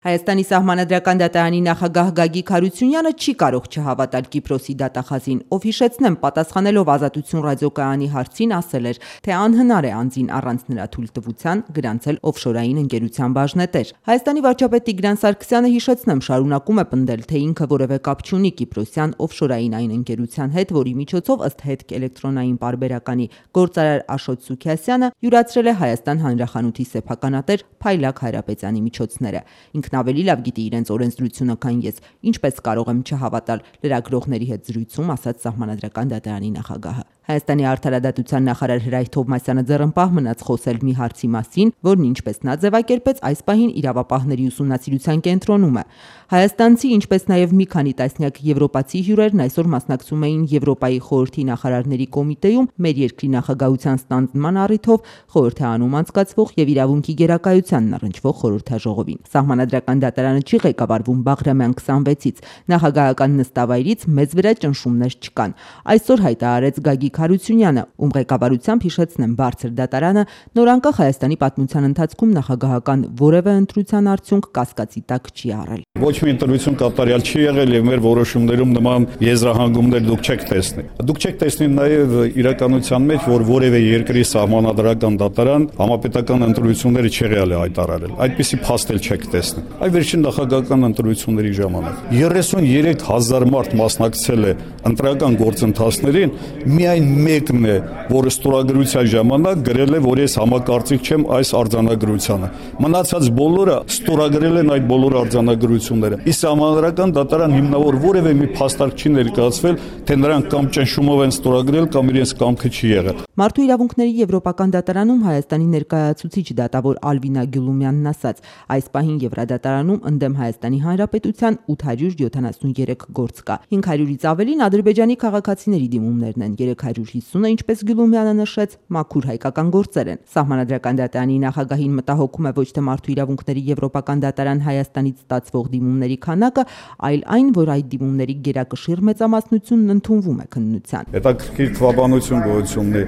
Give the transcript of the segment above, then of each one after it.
Հայաստանի Սահմանադրական դատարանի նախագահ Գագիկ Հարությունյանը չի կարող չհավատալ Կիպրոսի դատախազին, ով հիշեցնեմ, պատասխանելով Ազատություն ռադիոկայանի հարցին ասել էր, թե անհնար է անձին առանց նրա թույլտվության գրանցել օֆշորային ընկերության բաժնետեր։ Հայաստանի վարչապետ Տիգրան Սարգսյանը հիշեցնեմ շարունակում է պնդել, թե ինքը որևէ կապ չունի Կիպրոսյան օֆշորային այն ընկերության հետ, որի միջոցով ըստ հետք էլեկտրոնային պարբերականի գործարար Աշոտ Սուքիասյանը յուրացրել է Հայաստան հանրախանութի սեփականատեր Փայլակ Հայրապետյանի միջոցները։ Ավելի լավ գիտի իրենց օրենսդրությունը, քան ես, ինչպես կարող եմ չհավատալ լրագրողների հետ զրույցում, ասաց Սահմանադրական դատարանի նախագահը։ Հայաստանի արդարադատության նախարար Հրայր Թովմասյանը ձեռնպահ մնաց խոսել մի հարցի մասին, որն ինչպես նա ձևակերպեց, այս պահին իրավապահների ուսումնասիրության կենտրոնում է։ Հայաստանցի, ինչպես նաև մի քանի տասնյակ եվրոպացի հյուրերն այսօր մասնակցում էին Եվրոպայի խորհրդի նախարարների կոմիտեում մեր երկրի նախագահության ստանձնման առիթով խորհրդարանում անցկացվող եւ իրավունքի գերակայությանն առնչվող խորհրդաժողովին։ Սահմանադրական դատարանը չի ղեկավարվում Բաղրամյան 26-ից, նախագահական նստավայրից մեծ վրա ճնշումներ չկան։ Այսօր հայտարարեց Գագիկ Հարությունյանը, ում ղեկավարությամբ հիշեցնեմ բարձր դատարանը նորանկախ Հայաստանի պատմության ընթացքում նախագահական որևէ ընտրության արդյունք կասկածի տակ չի առել։ Ոչ մի ընտրություն կատարյալ չի եղել եւ մեր որոշումներում նման եզրահանգումներ դուք չեք տեսնի։ Դուք չեք տեսնի նաեւ իրականության մեջ, որ որևէ երկրի սահմանադրական դատարան համապետական ընտրությունները չեղյալ է հայտարարել։ Այդպիսի փաստ էլ չեք տեսնի։ Այ վերջին նախագահական ընտրությունների ժամանակ 33,000 մարդ մասնակցել է ընտրական գործընթացներին, միայն մեկն է, որը ստորագրության ժամանակ գրել է, որ ես համակարծիք չեմ այս արձանագրությանը։ Մնացած բոլորը ստորագրել են այդ բոլոր արձանագրությունները։ Իսկ Սահմանադրական դատարան հիմնավոր որևէ մի փաստարկ չի ներկայացվել, թե նրանք կամ ճնշումով են ստորագրել, կամ իրենց կամքը չի եղել։ Մարդու իրավունքների եվրոպական դատարանում Հայաստանի ներկայացուցիչ դատավոր Ալվինա Գյուլումյանն ասաց, այս պահին Եվրադատարանում ընդդեմ Հայաստանի Հանրապետության 873 գործ կա։ 500-ից ավելին Ադրբեջանի քաղաքացիների դիմումներն են, 350-ը, ինչպես Գյուլումյանը նշեց, մաքուր հայկական գործեր են։ Սահմանադրական դատարանի նախագահին մտահոգում է ոչ թե մարդու իրավունքների եվրոպական դատարան Հայաստանից ստացվող դիմումների քանակը, այլ այն, որ այդ դիմումների գերակշիռ մեծամասնությունն ընդունվում է քննության։ Հետաքրքիր թվաբանություն գոյություն ունի,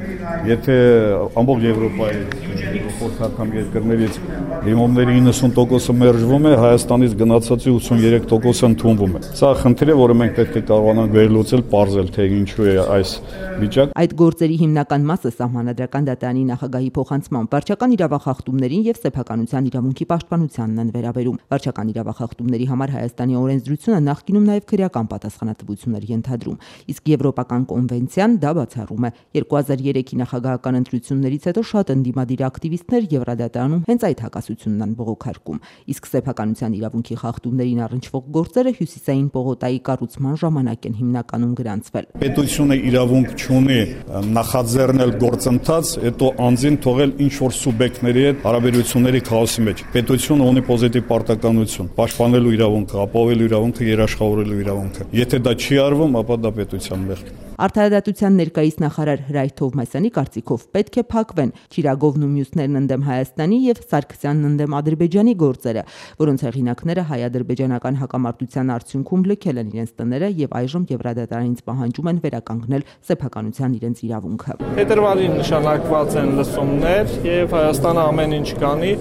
եթե ամբողջ Եվրոպայի խորհրդական երկրներից դիմումների 90%-ը մերժվում է, Հայաստանից գնացածի 83%-ը ընդունվում է։ Սա խնդիր է, որը մենք պետք է կարողանանք վերլուծել, պարզել, թե ինչու է այս վիճակը։ Այդ գործերի հիմնական մասը Սահմանադրական դատարանի նախագահի փոխանցման վարչական իրավախախտումներին եւ սեփականության իրավունքի պաշտպանությանն են վերաբերում։ Վարչական իրավախախտումների համար Հայաստանի օրենսդրությունը նախկինում նաեւ քրեական պատասխանատվություններ ենթադրում, իսկ Եվրոպական կոնվենցիան դա բացառում է։ 2003-ի նախագահական ընտրություններից հետո շատ ընդդիմադիր ակտիվիստներ Եվրադատարանում հենց այդ հակասությունն են բողոքարկում, իսկ սեփականության իրավունքի խախտումներին առնչվող գործերը Հյուսիսային պողոտայի կառուցման ժամանակ են հիմնականում գրանցվել։ Պետությունը իրավունք չունի նախաձեռնել գործընթաց, հետո անձին թողել ինչ-որ սուբյեկտների հետ հարաբերությունների քաոսի մեջ։ Պետությունը ունի պոզիտիվ պարտականություն պաշտպանելու իրավունքը, ապահովելու իրավունքը, երաշխավորելու իրավունքը։ Եթե դա չի արվում, ապա դա պետության մեղք։ Արդարադատության ներկայիս նախարար Հրայր Թովմասյանի կարծիքով պետք է փակվեն Չիրագովն ու մյուսներն ընդդեմ Հայաստանի եւ Սարգսյանն ընդդեմ Ադրբեջանի գործերը, որոնց հեղինակները հայ-ադրբեջանական հակամարտության արդյունքում լքել են իրենց տները եւ այժմ Եվրադատարանից պահանջում են վերականգնել սեփականության իրենց իրավունքը։ Փետրվարին նշանակված են լսումներ եւ Հայաստանը ամեն ինչ կանի,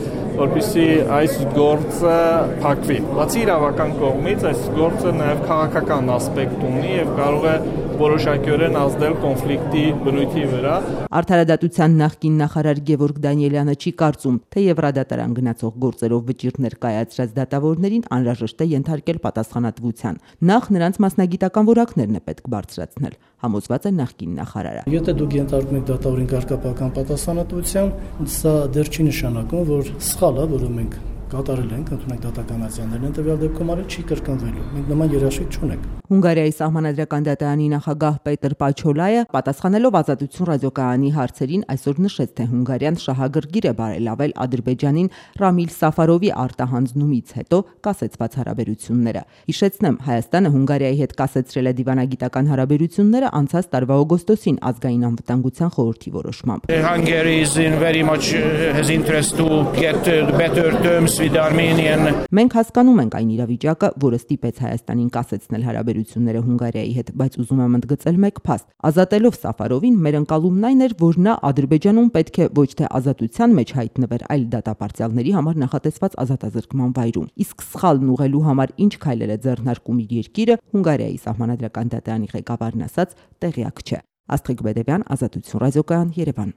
որպեսզի այս գործը փակվի։ Բացի իրավական կողմից այս գործը նաեւ քաղաքական ասպեկտ ունի եւ կարող է որոշակիորեն ազդել կոնֆլիկտի բնույթի վրա։ Արդարադատության նախկին նախարար Գևորգ Դանիելյանը չի կարծում, թե Եվրադատարան գնացող գործերով վճիռներ կայացրած դատավորներին անհրաժեշտ է ենթարկել պատասխանատվության։ Նախ նրանց մասնագիտական որակներն է պետք բարձրացնել, համոզված է նախկին նախարարը։ Եթե դուք ենթարկում եք դատավորին կարգապահական պատասխանատվության, սա դեռ չի նշանակում, որ սխալ է, որը մենք կատարել ենք, ընդունեք դատականացիաներն են տվյալ դեպքում արել չի կրկնվելու։ Մենք նման երաշխիք չունենք։ Հունգարիայի Սահմանադրական դատարանի նախագահ Պետր Պաչոլայը պատասխանելով Ազատություն ռադիոկայանի հարցերին այսօր նշեց, թե Հունգարիան շահագրգիռ է բարելավել Ադրբեջանին Ռամիլ Սաֆարովի արտահանձնումից հետո կասեցված հարաբերությունները։ Հիշեցնեմ, Հայաստանը Հունգարիայի հետ կասեցրել է դիվանագիտական հարաբերությունները անցած տարվա օգոստոսին ազգային անվտանգության խորհրդի որոշմամբ։ Hungary is in very much has interest to get better terms Մենք հասկանում ենք այն իրավիճակը, որը ստիպեց Հայաստանին կասեցնել հարաբերությունները Հունգարիայի հետ, բայց ուզում եմ ընդգծել մեկ փաստ. ազատելով Սաֆարովին, մեր ընկալումն այն էր, որ նա Ադրբեջանում պետք է ոչ թե ազատության մեջ հայտնվեր, այլ դատապարտյալների համար նախատեսված ազատազրկման վայրում։ Իսկ սխալն ուղղելու համար ինչ քայլեր է ձեռնարկում իր երկիրը, Հունգարիայի սահմանադրական դատարանի ղեկավարն ասաց, տեղյակ չէ։ Աստղիկ Բեդևյան, Ազատություն ռադիոկայան, Երևան։